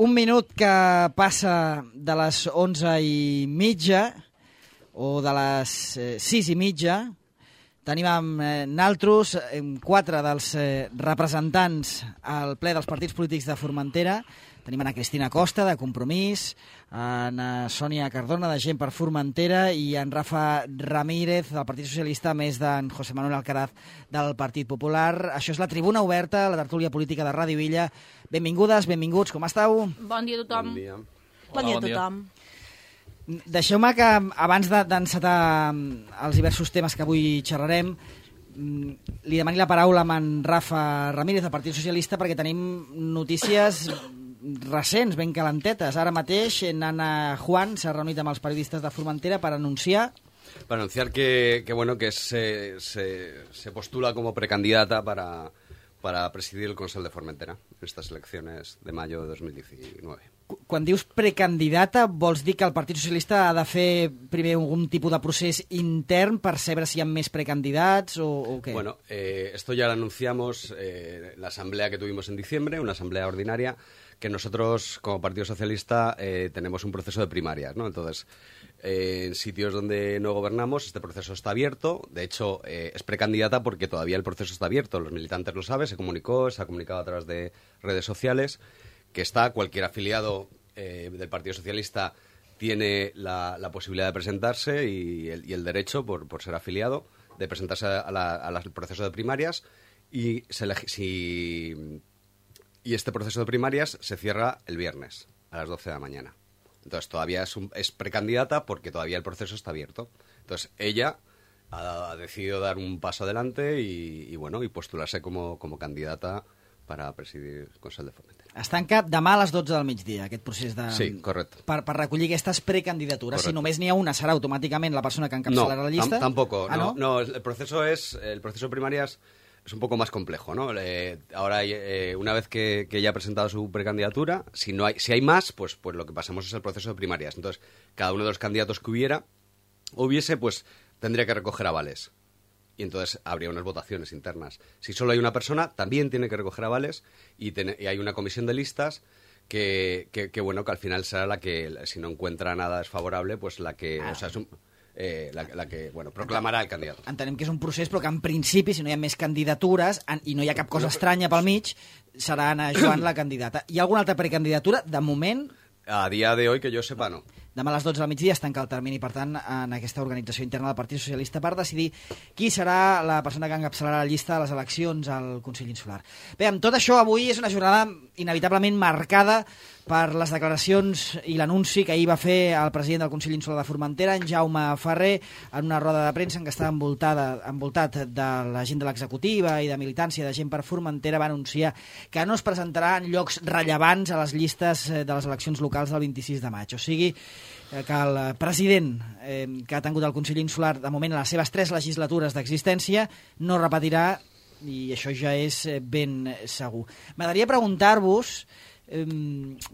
Un minut que passa de les 11:30 o de les 6:30. Tenim amb naltros 4 dels representants al ple dels partits polítics de Formentera. Tenim Ana Cristina Costa, de Compromís, Ana Sònia Cardona, de Gent per Formentera, i en Rafa Ramírez, del Partit Socialista, més d'en José Manuel Alcaraz, del Partit Popular. Això és la tribuna oberta, la tertúlia política de Ràdio Illa. Benvingudes, benvinguts, com esteu? Bon dia a tothom. Bon dia. Bon dia a tothom. Deixeu-me que, abans d'encetar els diversos temes que avui xerrarem, li demani la paraula a en Rafa Ramírez, del Partit Socialista, perquè tenim notícies recents, ben calentetes. Ara mateix, Nana Juan s'ha reunit amb els periodistes de Formentera para anunciar que se postula como precandidata para presidir el Consell de Formentera en estas elecciones de mayo de 2019. Quan dius precandidata, vols dir que el Partit Socialista ha de fer primer algun tipus de procés intern per saber si hi ha més precandidats o què? Bueno, esto ya lo anunciamos en la asamblea que tuvimos en diciembre, una asamblea ordinaria, que nosotros como Partido Socialista tenemos un proceso de primarias, ¿no? Entonces, en sitios donde no gobernamos, este proceso está abierto. De hecho, es precandidata porque todavía el proceso está abierto. Los militantes lo saben, se ha comunicado a través de redes sociales, que está cualquier afiliado del Partido Socialista tiene la posibilidad de presentarse y el derecho, por ser afiliado, de presentarse al proceso de primarias y este proceso de primarias se cierra el viernes a las 12 de la mañana. Entonces todavía es precandidata porque todavía el proceso está abierto. Entonces ella ha decidido dar un paso adelante y postularse como candidata para presidir el Consell de Formentera. Es tanca demà a les 12 del migdia, aquest procés de... Sí, correcte. Per recollir aquestes precandidatures. Correcte. Si només n'hi ha una, serà automàticament la persona que encapçalarà la llista? No, tampoco. ¿Ah, no? El proceso de primarias es un poco más complejo, ¿no? Ahora, una vez que ella ha presentado su precandidatura, si hay más, pues lo que pasamos es el proceso de primarias. Entonces, cada uno de los candidatos que hubiese, pues tendría que recoger avales. Y entonces habría unas votaciones internas. Si solo hay una persona, también tiene que recoger avales y hay una comisión de listas que al final será la que, si no encuentra nada desfavorable, pues la que... O sea, la que proclamarà el candidat. Entenem que és un procés, però que en principi, si no hi ha més candidatures i no hi ha cap cosa estranya pel mig, serà Ana Joan la candidata. Hi ha alguna altra precandidatura? De moment... A dia de hoy, que jo sepa, no. Demà a les 12 del migdia es tanca el termini, per tant, en aquesta organització interna del Partit Socialista per decidir qui serà la persona que encapçalarà la llista de les eleccions al Consell Insular. Bé, amb tot això, avui és una jornada inevitablement marcada per les declaracions i l'anunci que ahir va fer el president del Consell Insular de Formentera, en Jaume Ferrer, en una roda de premsa en què estava envoltat de la gent de l'executiva i de militància de Gent per Formentera, va anunciar que no es presentarà en llocs rellevants a les llistes de les eleccions locals del 26 de maig. O sigui, que el president que ha tingut el Consell Insular de moment a les seves 3 legislatures d'existència no repetirà, i això ja és ben segur. M'agradaria preguntar-vos,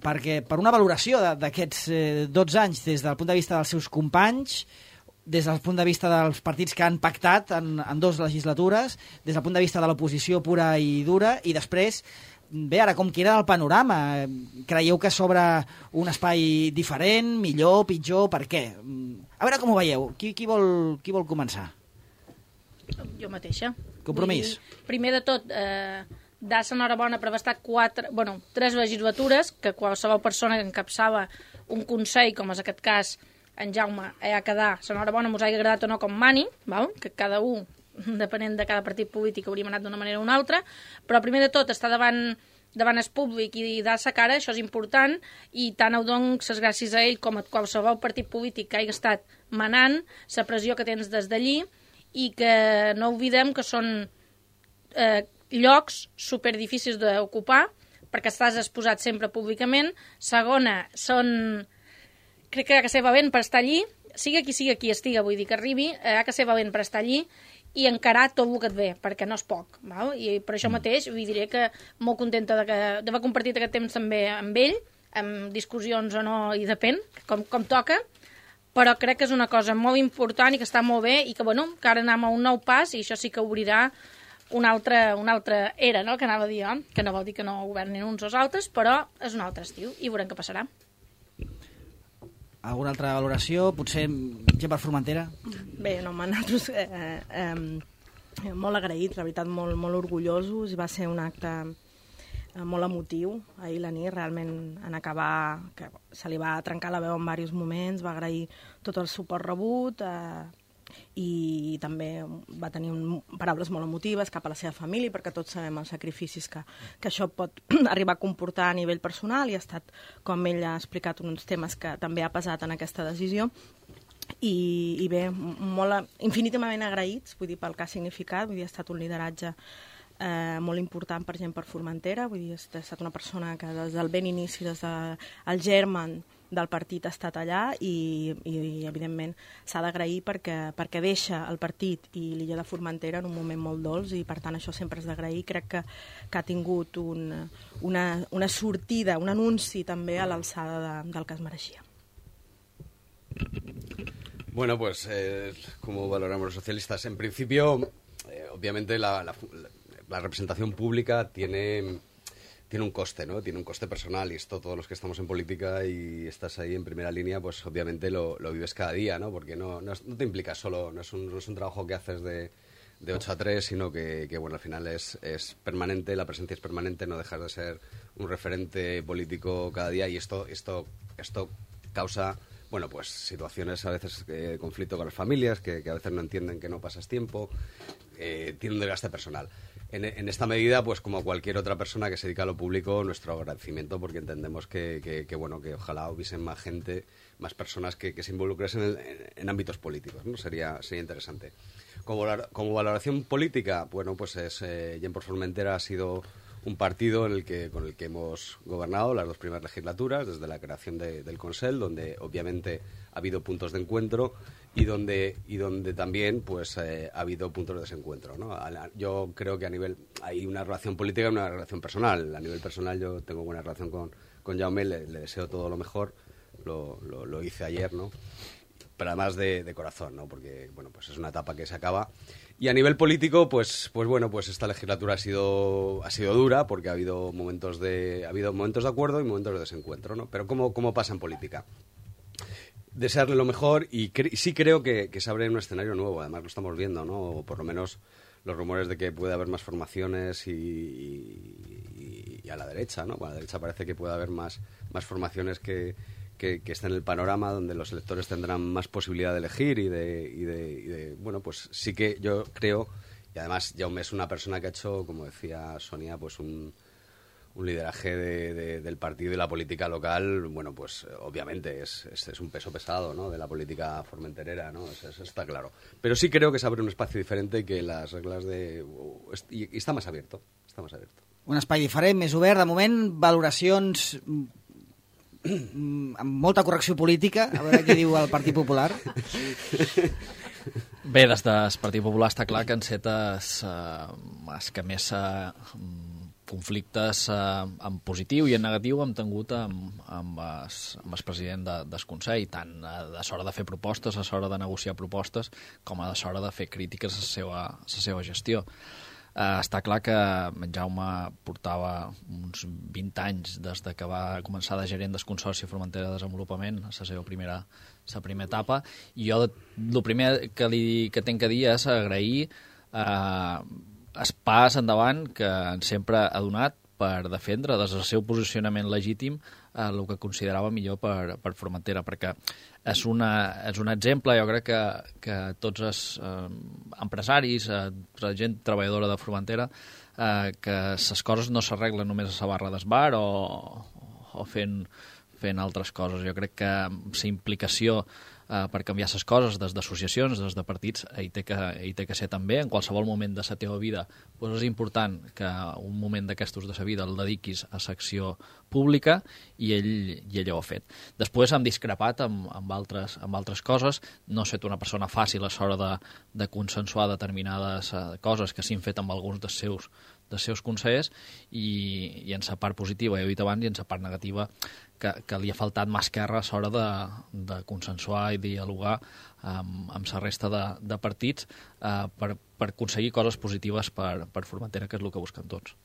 perquè per una valoració d'aquests 12 anys des del punt de vista dels seus companys, des del punt de vista dels partits que han pactat en 2 legislatures, des del punt de vista de l'oposició pura i dura, i després, bé, ara com queda el panorama? Creieu que s'obre un espai diferent, millor, pitjor, per què? A veure com ho veieu. Qui vol començar? Jo mateixa. Compromís. Primer de tot, dar-se enhorabona per haver estat 3 legislatures, que qualsevol persona que encapçava un consell, com és aquest cas en Jaume, ha quedat enhorabona, mos hagi agradat o no com mani, val? Que cada un, depenent de cada partit polític, hauríem anat d'una manera o una altra, però primer de tot estar davant el públic i dar-se cara, això és important, i tant ho dono les gràcies a ell com a qualsevol partit polític que hagi estat manant, la pressió que tens des d'allí, i que no oblidem que són llocs superdifícils d'ocupar, perquè estàs exposat sempre públicament. Segona, crec que ha de ser valent per estar allí, sigui qui estiga, vull dir que arribi, ha de ser valent per estar allí i encarar tot el que et ve, perquè no és poc, val? I per això mateix vull diré que molt contenta d'haver compartit aquest temps també amb ell, amb discussions o no, i depèn, com toca, però crec que és una cosa molt important i que està molt bé i que, que ara anem a un nou pas i això sí que obrirà una altra era, no?, que anava a dir jo, que no vol dir que no governin uns o els altres, però és un altre estiu i veurem què passarà. Alguna altra valoració? Potser gent per Formentera? Bé, no, nosaltres molt agraïts, la veritat, molt, molt orgullosos. Va ser un acte molt emotiu ahir la nit, realment en acabar, que se li va trencar la veu en diversos moments, va agrair tot el suport rebut i també va tenir paraules molt emotives cap a la seva família, perquè tots sabem els sacrificis que això pot arribar a comportar a nivell personal, i ha estat, com ell ha explicat, uns temes que també ha pesat en aquesta decisió. I bé, infinitament agraïts, vull dir, pel que ha significat, vull dir, ha estat un lideratge molt important per gent per Formentera, vull dir, ha estat una persona que des del ben inici, des del germen del partit ha estat allà i evidentment s'ha d'agrair perquè deixa el partit i l'illa de Formentera en un moment molt dolç, i per tant això sempre és d'agrair. Crec que ha tingut una sortida, un anunci també a l'alçada del que es mereixia. Bueno, pues como valoramos los socialistas, en principio, obviamente la representación pública tiene un coste, ¿no? Tiene un coste personal, y esto todos los que estamos en política y estás ahí en primera línea, pues obviamente lo vives cada día, ¿no? Porque no te implica solo, no es un trabajo que haces de 8 a 3, sino que bueno, al final es permanente, la presencia es permanente, no dejas de ser un referente político cada día, y esto causa, bueno, pues situaciones a veces de conflicto con las familias, que a veces no entienden que no pasas tiempo, tiene un desgaste personal. En esta medida, pues como cualquier otra persona que se dedica a lo público, nuestro agradecimiento, porque entendemos que ojalá hubiesen más gente, más personas que se involucrasen en ámbitos políticos, ¿no? Sería interesante. Como valoración política, bueno, pues Gent per Formentera ha sido un partido con el que hemos gobernado las 2 primeras legislaturas, desde la creación del Consell, donde obviamente ha habido puntos de encuentro y donde también pues ha habido puntos de desencuentro, ¿no? Yo creo que hay una relación política y una relación personal. A nivel personal yo tengo buena relación con Jaume, le deseo todo lo mejor, lo hice ayer, ¿no? Pero además de corazón, ¿no? Porque bueno, pues es una etapa que se acaba. Y a nivel político, pues bueno, pues esta legislatura ha sido dura, porque ha habido momentos de acuerdo y momentos de desencuentro, ¿no? Pero ¿cómo pasa en política? Desearle lo mejor, y sí creo que se abre un escenario nuevo, además lo estamos viendo, ¿no? O por lo menos los rumores de que puede haber más formaciones y a la derecha, ¿no? A la derecha parece que puede haber más formaciones que estén en el panorama, donde los electores tendrán más posibilidad de elegir y de bueno, pues sí que yo creo, y además Jaume es una persona que ha hecho, como decía Sonia, pues un lideraje del partido y la política local, bueno, pues obviamente es un peso pesado, ¿no?, de la política formenterera, ¿no? Eso está claro. Pero sí creo que se abre un espacio diferente, que las reglas y està més abierto, Un espai diferent, més obert, de moment, valoracions amb molta correcció política, a veure què diu el Partit Popular. Bé, des del Partit Popular està clar que encetes els que més conflictes en positiu i en negatiu hem tingut amb el president del Consell, tant a l'hora de fer propostes, a l'hora de negociar propostes, com a l'hora de fer crítiques a la seva gestió. Està clar que en Jaume portava uns 20 anys des que va començar de gerent del Consorci Formentera de Desenvolupament, a la seva primera etapa, i jo el primer que tinc que dir és agrair el pas endavant que sempre ha donat per defendre des del seu posicionament legítim el que considerava millor per Formentera, perquè és un exemple, jo crec que tots els empresaris, la gent treballadora de Formentera, que les coses no s'arreglen només a la barra del bar o fent altres coses. Jo crec que la implicació per canviar les coses des d'associacions, des de partits, hi té que ser també. En qualsevol moment de la teva vida és important que un moment d'aquestos de la vida el dediquis a l'acció pública, i ell ho ha fet. Després hem discrepat amb altres coses. No ha estat una persona fàcil a l'hora de consensuar determinades coses que s'han fet amb alguns dels seus consellers, i en la part positiva, ja he dit abans, i en la part negativa que li ha faltat mà esquerra a l'hora de consensuar i dialogar amb la resta de partits per aconseguir coses positives per Formentera, que és el que busquen tots.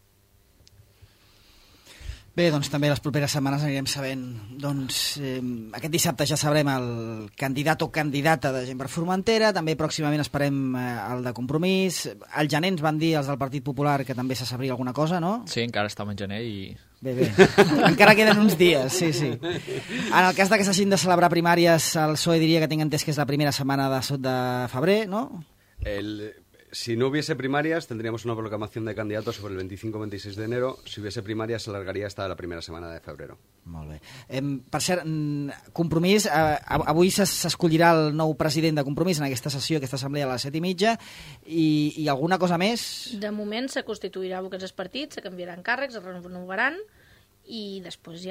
Bé, doncs també les properes setmanes anirem sabent, doncs aquest dissabte ja sabrem el candidat o candidata de Gent per Formentera, també pròximament esperem el de Compromís, al gener ens van dir els del Partit Popular que també se sabria alguna cosa, no? Sí, encara estem en gener i... Bé, encara queden uns dies, sí. En el cas de que s'hagin de celebrar primàries, el PSOE diria que tinc entès que és la primera setmana de febrer, no? Si no hubiese primarias, tendríamos una proclamación de candidatos sobre el 25-26 de enero. Si hubiese primarias, se alargaría hasta la primera semana de febrero. Molt bé. Per cert, Compromís, avui s'escollirà el nou president de Compromís en aquesta sessió, aquesta assemblea a les 7:30, i alguna cosa més? De moment se constituirà aquests partits, se canviaran càrrecs, es renovaran, i després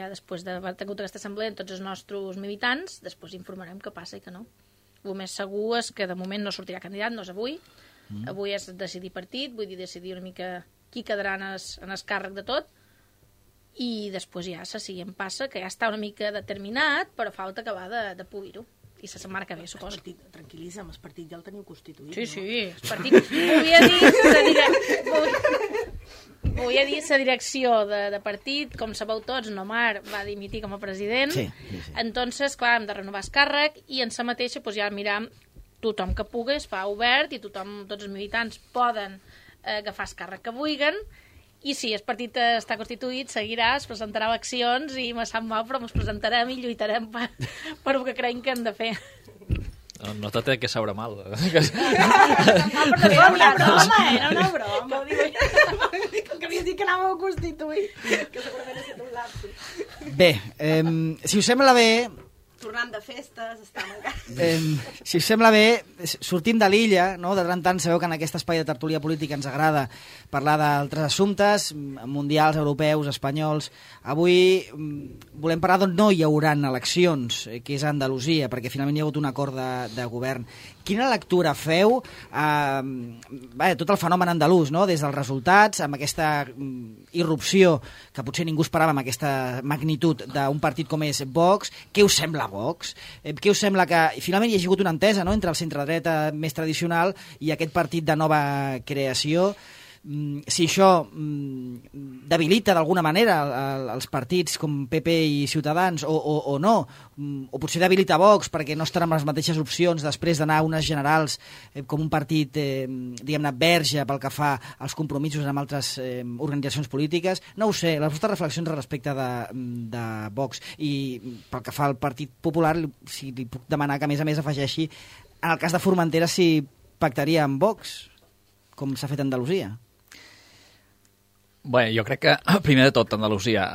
d'haver tingut aquesta assemblea amb tots els nostres militants, després informarem què passa i què no. El més segur és que de moment no sortirà candidat, no és avui. Avui és decidir partit, vull dir, decidir una mica qui quedarà en el càrrec de tot, i després ja se siguen passa, que ja està una mica determinat, però falta acabar de polir-ho. I la setmana que ve, suposo. Tranquil·litza, el partit ja el teniu constituït, Sí, no? el partit... Volia dir la direcció de partit, com sabeu tots, Nomar va dimitir com a president, Sí. Entonces, clar, hem de renovar el càrrec, i en sa mateixa doncs, ja miram tothom que pugui, es fa obert, i tots els militants poden agafar el càrrec que vulguin, i si el partit està constituït, seguirà, es presentarà eleccions, i me sap mal, però ens presentarem i lluitarem per el que creiem que hem de fer. No te té que saber mal. Era una broma. Que havies dit que anàveu a constituir, que segurament ha estat un lapsus. Bé, si us sembla bé... Tornant de festes, estem encara... Si us sembla bé, sortim de l'illa, no? De tant en tant sabeu que en aquest espai de tertúlia política ens agrada parlar d'altres assumptes, mundials, europeus, espanyols. Avui volem parlar d'on no hi haurà eleccions, que és a Andalusia, perquè finalment hi ha hagut un acord de govern. Quina lectura feu tot el fenomen andalús, no? Des dels resultats, amb aquesta irrupció que potser ningú esperava amb aquesta magnitud d'un partit com és Vox? Què us sembla Vox? Què us sembla que finalment hi ha hagut una entesa, no?, entre el centre-dreta més tradicional i aquest partit de nova creació? Si això debilita d'alguna manera els partits com PP i Ciutadans o no, o potser debilita Vox perquè no estan amb les mateixes opcions després d'anar a unes generals com un partit, diguem-ne, verge pel que fa als compromisos amb altres organitzacions polítiques. No ho sé, les vostres reflexions respecte de Vox, i pel que fa al Partit Popular, si li puc demanar que a més afegeixi, en el cas de Formentera, si pactaria amb Vox, com s'ha fet a Andalusia. Bé, jo crec que, primer de tot, Andalusia,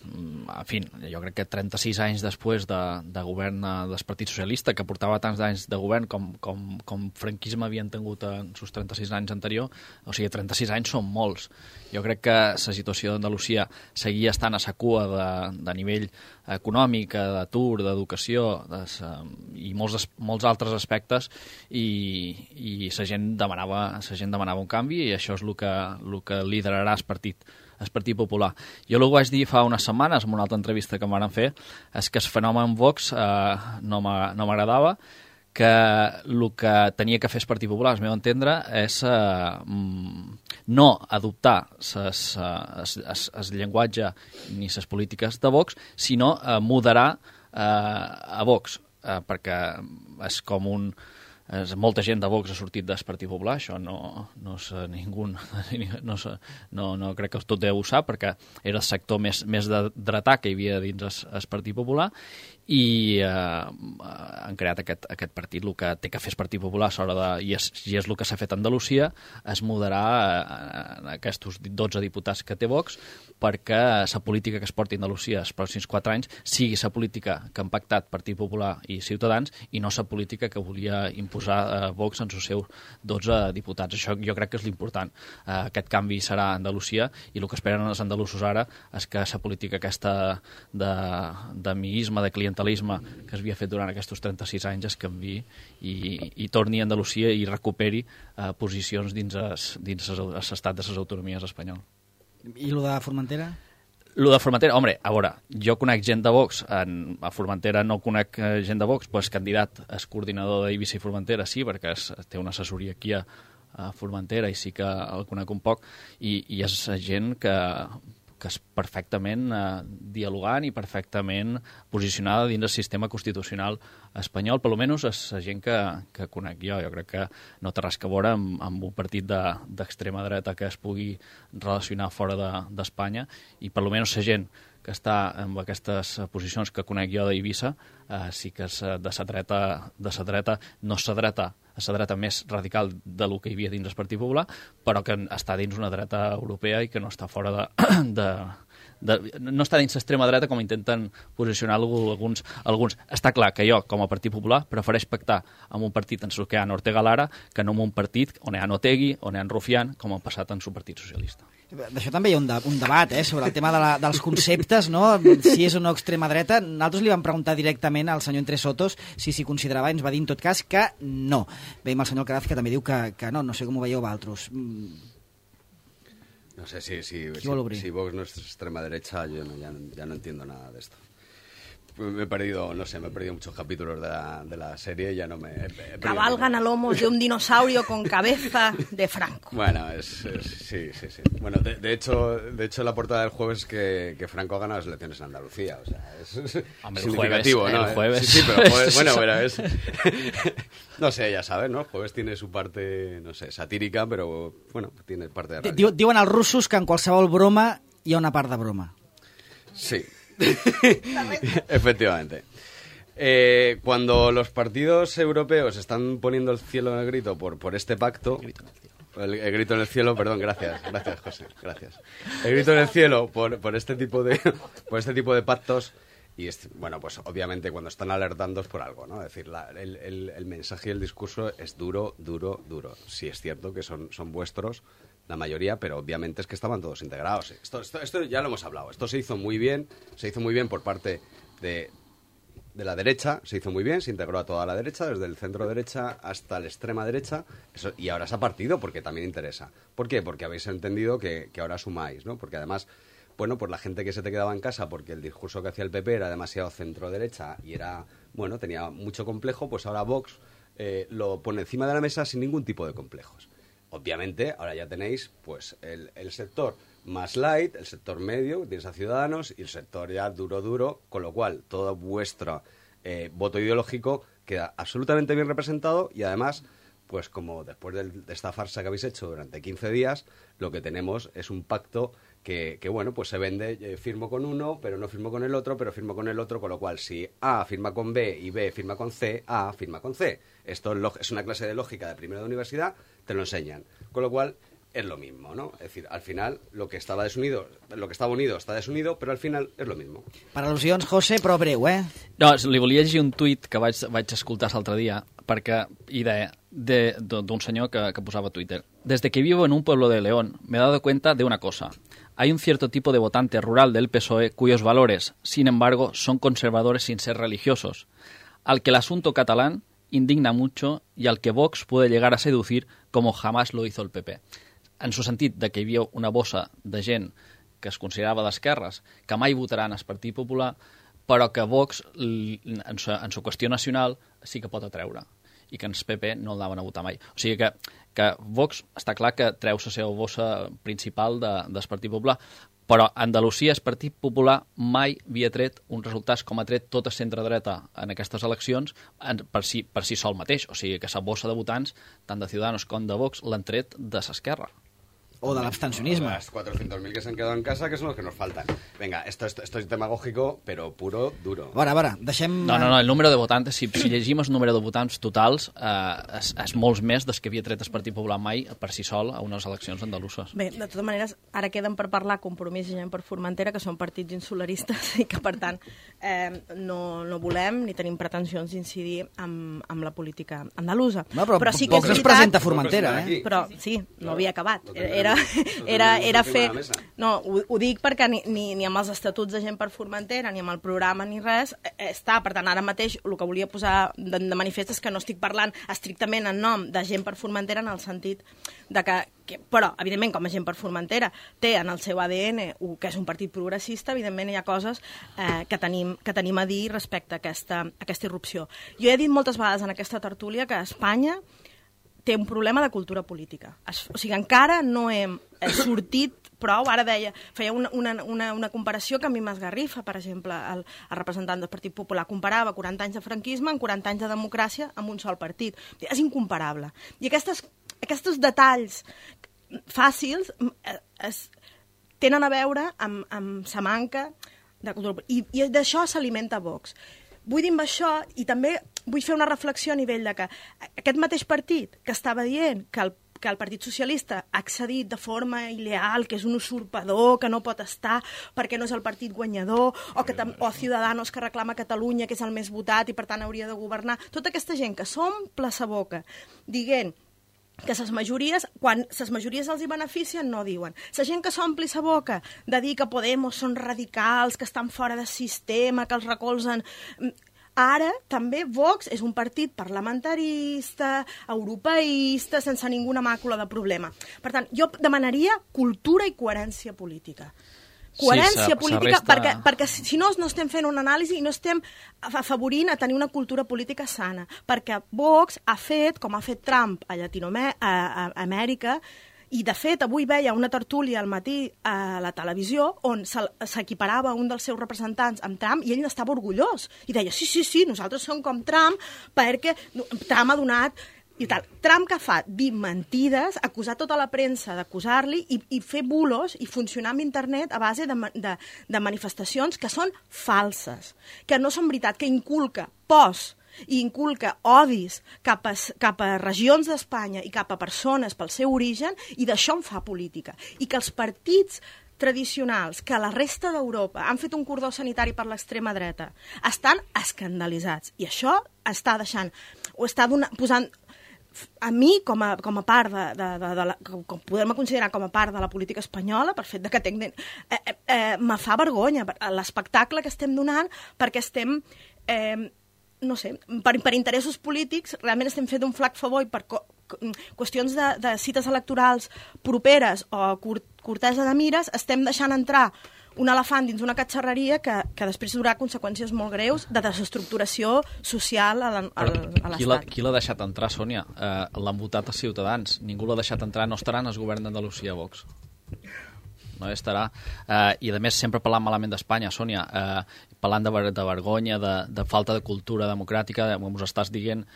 en fi, jo crec que 36 anys després de govern del Partit Socialista, que portava tants anys de govern com franquisme havien tingut en els 36 anys anterior, o sigui, 36 anys són molts. Jo crec que la situació d'Andalusia seguia estant a sa cua de nivell econòmic, d'atur, d'educació i molts altres aspectes, i la gent demanava un canvi, i això és el que liderarà el Partit Popular. Jo el que vaig dir fa unes setmanes en una altra entrevista que em van fer és que el fenomen Vox no m'agradava, que el que tenia que fer el Partit Popular, al meu entendre, és no adoptar el llenguatge ni les polítiques de Vox, sinó moderar a Vox, perquè és com un... Molta gent de Vox ha sortit del Partit Popular, això no és ningú, no crec que tot ho sap, perquè era el sector més dretà que hi havia dins el Partit Popular, i han creat aquest partit. El que té que fer el Partit Popular i és el que s'ha fet a Andalusia, és moderar aquests 12 diputats que té Vox, perquè la política que es porti a Andalusia els pròxims 4 anys sigui la política que han pactat Partit Popular i Ciutadans, i no la política que volia imposar Vox en els seus 12 diputats. Això jo crec que és l'important. Aquest canvi serà a Andalusia, i el que esperen els andalusos ara és que la política aquesta d'amiguisme, de clientelisme que es havia fet durant aquests 36 anys es canvi i torni a Andalusia i recuperi posicions dins l'estat de les autonomies espanyol. I el de Formentera? Lo de Formentera, home, a veure, jo conec gent de Vox, a Formentera no conec gent de Vox, però és candidat, és coordinador d'Eivissa i Formentera, sí, perquè té una assessoria aquí a Formentera i sí que el conec un poc, i és gent que és perfectament dialogant i perfectament posicionada dins del sistema constitucional espanyol, per almenys és la gent que conec jo. Jo crec que no té res a veure amb un partit d'extrema dreta que es pugui relacionar fora d'Espanya, i per almenys la gent que està en aquestes posicions que conec jo d'Eivissa sí que és de la dreta, no és la dreta més radical de lo que hi havia dins el Partit Popular, però que està dins una dreta europea i que no està fora no està dins l'extrema dreta com intenten posicionar alguns. Està clar que jo, com a Partit Popular, prefereix pactar amb un partit en el que hi ha Ortega Lara que no amb un partit on hi ha Otegi, on hi ha Rufián, com ha passat en el Partit Socialista. D'això també hi ha un debat, sobre el tema dels conceptes, no? Si és o no extrema dreta. Nosaltres li vam preguntar directament al senyor Entre Sotos si s'hi considerava, i ens va dir en tot cas que no. Veiem el senyor Alcaraz que també diu que no sé com ho veieu vosaltres. No sé, si Vox no es extrema derecha, yo ya no entiendo nada de esto. Me he perdido muchos capítulos de la serie, ya no me... Cabalgan a lomos de un dinosaurio con cabeza de Franco. Bueno, sí. Bueno, de hecho, la portada del jueves es que Franco ha ganado las elecciones en Andalucía, o sea, es significativo, ¿no? El jueves. Sí, pero el jueves, bueno, pero es... No sé, ya sabes, ¿no? El jueves tiene su parte, no sé, satírica, pero, bueno, tiene parte de realidad. Diuen els russos que en qualsevol broma hi ha una part de broma. Sí. Efectivamente. Cuando los partidos europeos están poniendo el cielo en el grito por este pacto, el grito en el cielo, perdón, gracias José, gracias. El grito en el cielo por este tipo de pactos, y bueno, pues obviamente cuando están alertando es por algo, ¿no? Es decir, el mensaje y el discurso es duro. Sí es cierto que son vuestros, la mayoría, pero obviamente es que estaban todos integrados. Esto ya lo hemos hablado. Esto se hizo muy bien por parte de la derecha, se hizo muy bien, se integró a toda la derecha, desde el centro derecha hasta la extrema derecha, y ahora se ha partido porque también interesa. ¿Por qué? Porque habéis entendido que ahora sumáis, ¿no? Porque además, bueno, pues la gente que se te quedaba en casa porque el discurso que hacía el PP era demasiado centro derecha y tenía mucho complejo, pues ahora Vox lo pone encima de la mesa sin ningún tipo de complejos. Obviamente, ahora ya tenéis pues el sector más light, el sector medio, que tienes a Ciudadanos, y el sector ya duro, con lo cual todo vuestro voto ideológico queda absolutamente bien representado, y además, pues como después de esta farsa que habéis hecho durante 15 días, lo que tenemos es un pacto que bueno, pues se vende, firmo con uno, pero no firmo con el otro, pero firmo con el otro, con lo cual si A firma con B y B firma con C, A firma con C. Esto es una clase de lógica de primero de universidad, te lo enseñan. Con lo cual es lo mismo, ¿no? Es decir, al final lo que estaba unido està desunido, però al final és lo mismo. Per al·lusions, José, però breu, No, li volia llegir un tuit que vaig escoltar l'altre dia, perquè hi deia d'un senyor que posava a Twitter: desde que vivo en un pueblo de León me he dado cuenta de una cosa. Hay un cierto tipo de votante rural del PSOE cuyos valores, sin embargo, son conservadores sin ser religiosos, al que el asunto catalán indigna mucho y al que Vox puede llegar a seducir como jamás lo hizo el PP. En su sentit de que hi havia una bossa de gent que es considerava d'esquerres, que mai votaran el Partit Popular, però que Vox, en su qüestió nacional, sí que pot atreure, i que ens PP no el anaven a votar mai. O sigui que Vox està clar que treu la seva bossa principal del Partit Popular, però Andalusia, el Partit Popular, mai havia tret uns resultats com ha tret tot el centre-dreta en aquestes eleccions per si sol mateix. O sigui que la bossa de votants, tant de Ciudadanos com de Vox, l'han tret de l'esquerra. O de l'abstencionisme. Las 400.000 que se han quedado en casa, que son los que nos faltan. Venga, esto es demagógico, pero puro, duro. A veure, deixem... No, el número de votants, si llegim el número de votants totals, és molts més dels que havia tret el Partit Popular mai per si sol a unes eleccions andaluses. Bé, de totes maneres, ara queden per parlar Compromís i Gent per Formentera, que són partits insularistes i que, per tant, no volem ni tenim pretensions d'incidir amb la política andalusa. No, però sí que Vox es presenta a Formentera, Però sí, no havia acabat. Era fer... No, ho dic perquè ni amb els estatuts de Gent per Formentera, ni amb el programa, ni res, està. Per tant, ara mateix el que volia posar de manifest és que no estic parlant estrictament en nom de Gent per Formentera, en el sentit de que però, evidentment, com a gent per Formentera, té en el seu ADN que és un partit progressista, evidentment hi ha coses que tenim a dir respecte a aquesta irrupció. Jo he dit moltes vegades en aquesta tertúlia que Espanya té un problema de cultura política. O sigui, encara no hem sortit prou. Ara feia una comparació que a mi m'esgarrifa, per exemple, el representant del Partit Popular comparava 40 anys de franquisme amb 40 anys de democràcia amb un sol partit. És incomparable. I aquests detalls fàcils tenen a veure amb sa manca de cultura. I d'això s'alimenta Vox. Vull dir amb això, i també vull fer una reflexió a nivell de que aquest mateix partit que estava dient que el Partit Socialista ha accedit de forma il·leal, que és un usurpador, que no pot estar perquè no és el partit guanyador, o Ciudadanos, que reclama Catalunya, que és el més votat i per tant hauria de governar. Tota aquesta gent que s'omple sa boca dient que ses majories, quan ses majories els hi beneficien, no diuen. La gent que s'ompli sa boca de dir que Podemos són radicals, que estan fora del sistema, que els recolzen... Ara també Vox és un partit parlamentarista, europeista, sense ninguna màcula de problema. Per tant, jo demanaria cultura i coherència política. Coherència política, perquè si no estem fent una anàlisi i no estem afavorint a tenir una cultura política sana. Perquè Vox ha fet, com ha fet Trump a Amèrica, i, de fet, avui veia una tertúlia al matí a la televisió on s'equiparava un dels seus representants amb Trump i ell n'estava orgullós. I deia, sí, nosaltres som com Trump perquè Trump ha donat... I tal. Trump que fa? Dir mentides, acusar tota la premsa d'acusar-li i fer bulos i funcionar amb internet a base de manifestacions que són falses, que no són veritat, que inculca pors i inculca odis cap a regions d'Espanya i cap a persones pel seu origen, i d'això en fa política. I que els partits tradicionals que a la resta d'Europa han fet un cordó sanitari per l'extrema dreta estan escandalitzats. I això està deixant, o està posant... A mi, com a part com podem considerar com a part de la política espanyola, per fet que me fa vergonya l'espectacle que estem donant, perquè estem... no sé, per interessos polítics realment estem fent un flac favor i per qüestions de cites electorals properes o cortesa de mires estem deixant entrar un elefant dins una catxarreria que després durà conseqüències molt greus de desestructuració social a l'Estat. Qui l'ha deixat entrar, Sònia? L'han votat a Ciutadans. Ningú l'ha deixat entrar. No estaran els governs d'Andalusia, Vox. No estarà. I, a més, sempre parlant malament d'Espanya, Sònia, parlant de vergonya, de falta de cultura democràtica, com us estàs dient,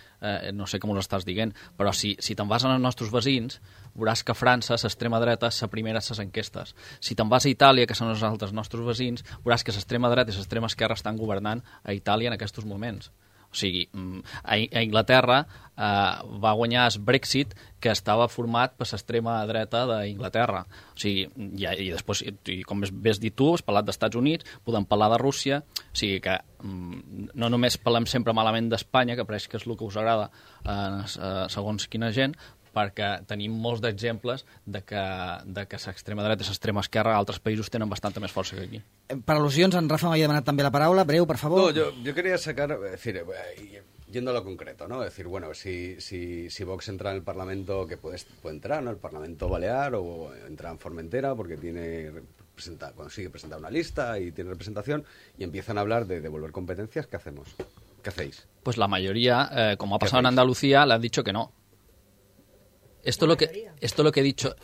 no sé com us estàs dient, però si te'n vas als nostres veïns, veuràs que a França l'extrema dreta és la primera a les enquestes. Si te'n vas a Itàlia, que són els altres nostres veïns, veuràs que l'extrema dreta i l'extrema esquerra estan governant a Itàlia en aquests moments. O sigui, a Inglaterra va guanyar el Brexit, que estava format per l'extrema dreta d'Inglaterra. O sigui, i després, com has dit tu, has parlat d'Estats Units, podem parlar de Rússia, o sigui que no només parlem sempre malament d'Espanya, que pareix que és el que us agrada segons quina gent, perquè tenim molts d'exemples de que l'extrema dreta i l'extrema esquerra a altres països tenen bastanta més força que aquí. Per al·lusions, en Rafa m'havia demanat també la paraula. Breu, por favor. No, yo quería sacar, es decir, yendo a lo concreto, ¿no? Es decir, bueno, si Vox entra en el Parlamento, que puede entrar, ¿no? El Parlamento Balear, o entra en Formentera porque consigue presentar una lista y tiene representación, y empiezan a hablar de devolver competencias, ¿qué hacemos? ¿Qué hacéis? Pues la mayoría, como ha pasado en Andalucía, le han dicho que no. Esto es lo que he dicho.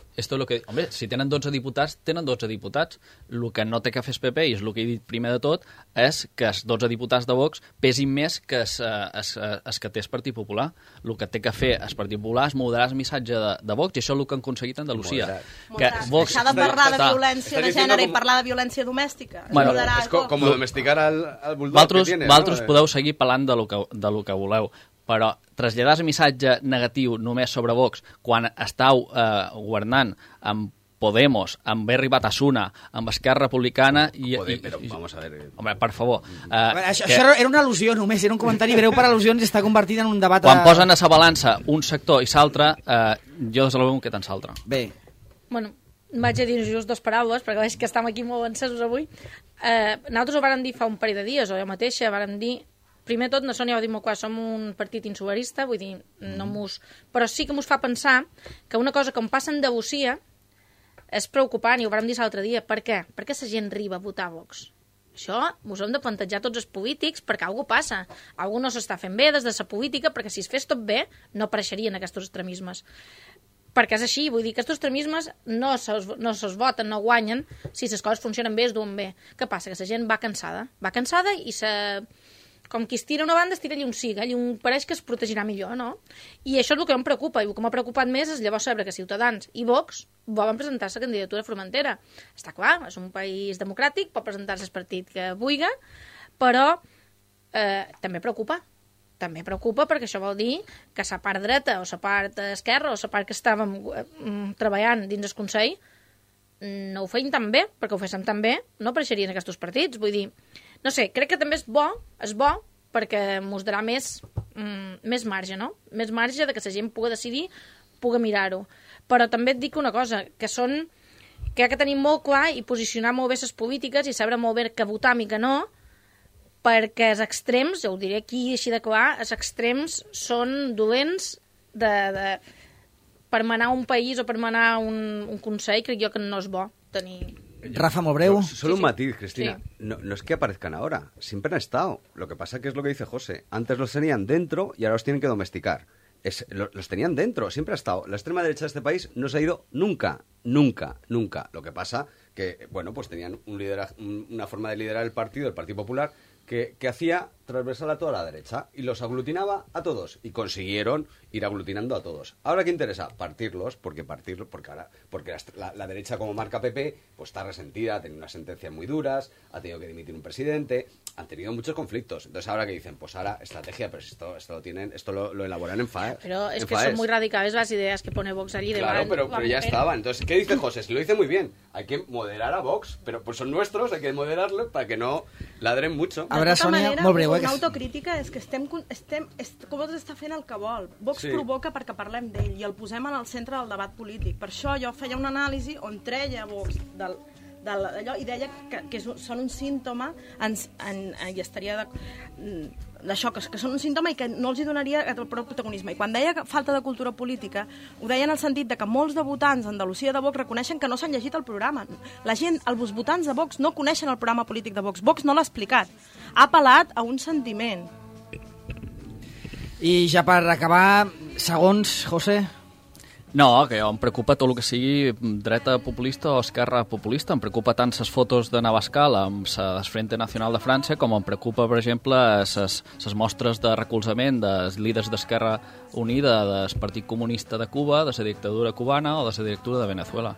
Hombre, si tenen 12 diputats, tenen 12 diputats. El que no té que fer el PP, i és el que he dit primer de tot, és que els 12 diputats de Vox pesin més que els que té el Partit Popular. El que té que fer el Partit Popular és moderar el missatge de Vox, i això és el que han aconseguit a Andalusia. Deixar de parlar de violència de gènere i parlar de violència domèstica. Bueno, és com domesticar al bulldog que tiene. Vosaltres podeu seguir parlant de lo que voleu, però traslladar el missatge negatiu només sobre Vox quan estàu governant amb Podemos, amb Berri Batasuna, amb Esquerra Republicana... Però vamos a ver... Home, per favor... Això era una al·lusió només, era un comentari breu per al·lusions i està convertit en un debat... Quan posen a la balança un sector i l'altre, jo des de l'algun que tant l'altre. Bé. Bueno, vaig a dir just dues paraules, perquè veig que estem aquí molt encesos avui. Nosaltres ho vàrem dir fa un parell de dies, o jo mateixa vàrem dir primer tot, no són, ja ho dic molt clar, som un partit insularista, vull dir, no mos... Però sí que mos fa pensar que una cosa com passa a Andalusia és preocupant, i ho vam dir l'altre dia. Per què? Perquè la gent arriba a votar Vox. Això mos hem de plantejar tots els polítics perquè alguna cosa passa. Algú no s'està fent bé des de la política, perquè si es fes tot bé no apareixerien aquests extremismes. Perquè és així, vull dir que aquests extremismes no se'ls voten, no guanyen, si les coses funcionen bé, es duen bé. Què passa? Que la gent va cansada i com qui es tira una banda, es tira allà un siga, allà pareix que es protegirà millor, no? I això és el que em preocupa, i el que m'ha preocupat més és llavors saber que Ciutadans i Vox volen presentar la candidatura a Formentera. Està clar, és un país democràtic, pot presentar-se el partit que vulgui, però també preocupa. També preocupa perquè això vol dir que la part dreta o la part esquerra o la part que estàvem treballant dins el Consell no ho feien tan bé, perquè ho féssim tan bé, no apareixerien aquests partits. Vull dir, no sé, crec que també és bo perquè mos darà més marge, no? Més marge de que la gent pugui decidir, pugui mirar-ho. Però també et dic una cosa, que ha que tenir molt clar i posicionar molt bé les polítiques i saber molt bé què votar i què no, perquè els extrems, ja ho diré aquí així de clar, els extrems són dolents per manar un país o per manar un consell, crec jo que no és bo tenir... Rafa, molt breu. Solo un matiz, Cristina. Sí. No es que aparezcan ahora, siempre han estado. Lo que pasa que es lo que dice José. Antes los tenían dentro y ahora los tienen que domesticar. Los tenían dentro, siempre ha estado. La extrema derecha de este país no se ha ido nunca. Lo que pasa que, bueno, pues tenían una forma de liderar el Partido Popular, que hacía transversal a toda la derecha y los aglutinaba a todos y consiguieron ir aglutinando a todos. Ahora, ¿qué interesa? Partirlos, porque la derecha, como marca PP, pues está resentida, ha tenido unas sentencias muy duras, ha tenido que dimitir un presidente, han tenido muchos conflictos. Entonces, ahora que dicen, pues ahora estrategia, pero esto lo elaboran en FAES. Pero es que son muy radicales las ideas que pone Vox allí. Claro, pero ya estaban. Entonces, ¿qué dice José? Si lo dice muy bien, hay que moderar a Vox, pero pues son nuestros, hay que moderarlo para que no ladren mucho. A veure, Sònia, molt breu. Una autocrítica és que com està fent el que vol. Vox provoca perquè parlem d'ell i el posem en el centre del debat polític. Per això jo feia una anàlisi on treia Vox d'allò i deia que són un símptoma i estaria d'això, que són un símptoma i que no els hi donaria prou protagonisme. I quan deia que falta de cultura política, ho deia en el sentit de que molts de votants d'Andalusia de Vox reconeixen que no s'han llegit el programa. La gent, els votants de Vox no coneixen el programa polític de Vox. Vox no l'ha explicat. Ha apel·lat a un sentiment. I ja per acabar, segons, José... No, que em preocupa tot el que sigui dreta populista o esquerra populista. Em preocupa tant les fotos de Navascal amb el Frente Nacional de França com em preocupa, per exemple, les mostres de recolzament dels líders d'Esquerra Unida del Partit Comunista de Cuba, de la dictadura cubana o de la dictadura de Venezuela.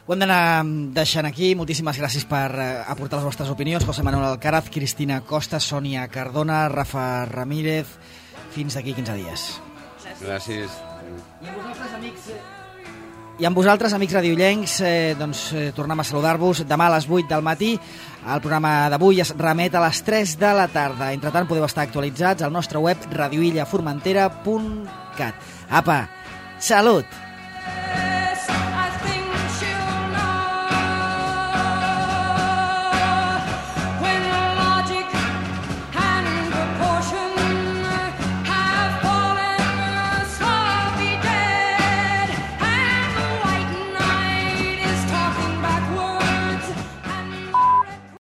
Ho hem d'anar deixant aquí. Moltíssimes gràcies per aportar les vostres opinions. José Manuel Alcaraz, Cristina Costa, Sònia Cardona, Rafa Ramírez. Fins d'aquí 15 dies. Gràcies. I amb vosaltres, amics radiollencs, tornem a saludar-vos demà a les 8 del matí. El programa d'avui es remet a les 3 de la tarda. Entretant, podeu estar actualitzats al nostre web radioillaformentera.cat. Apa, salut!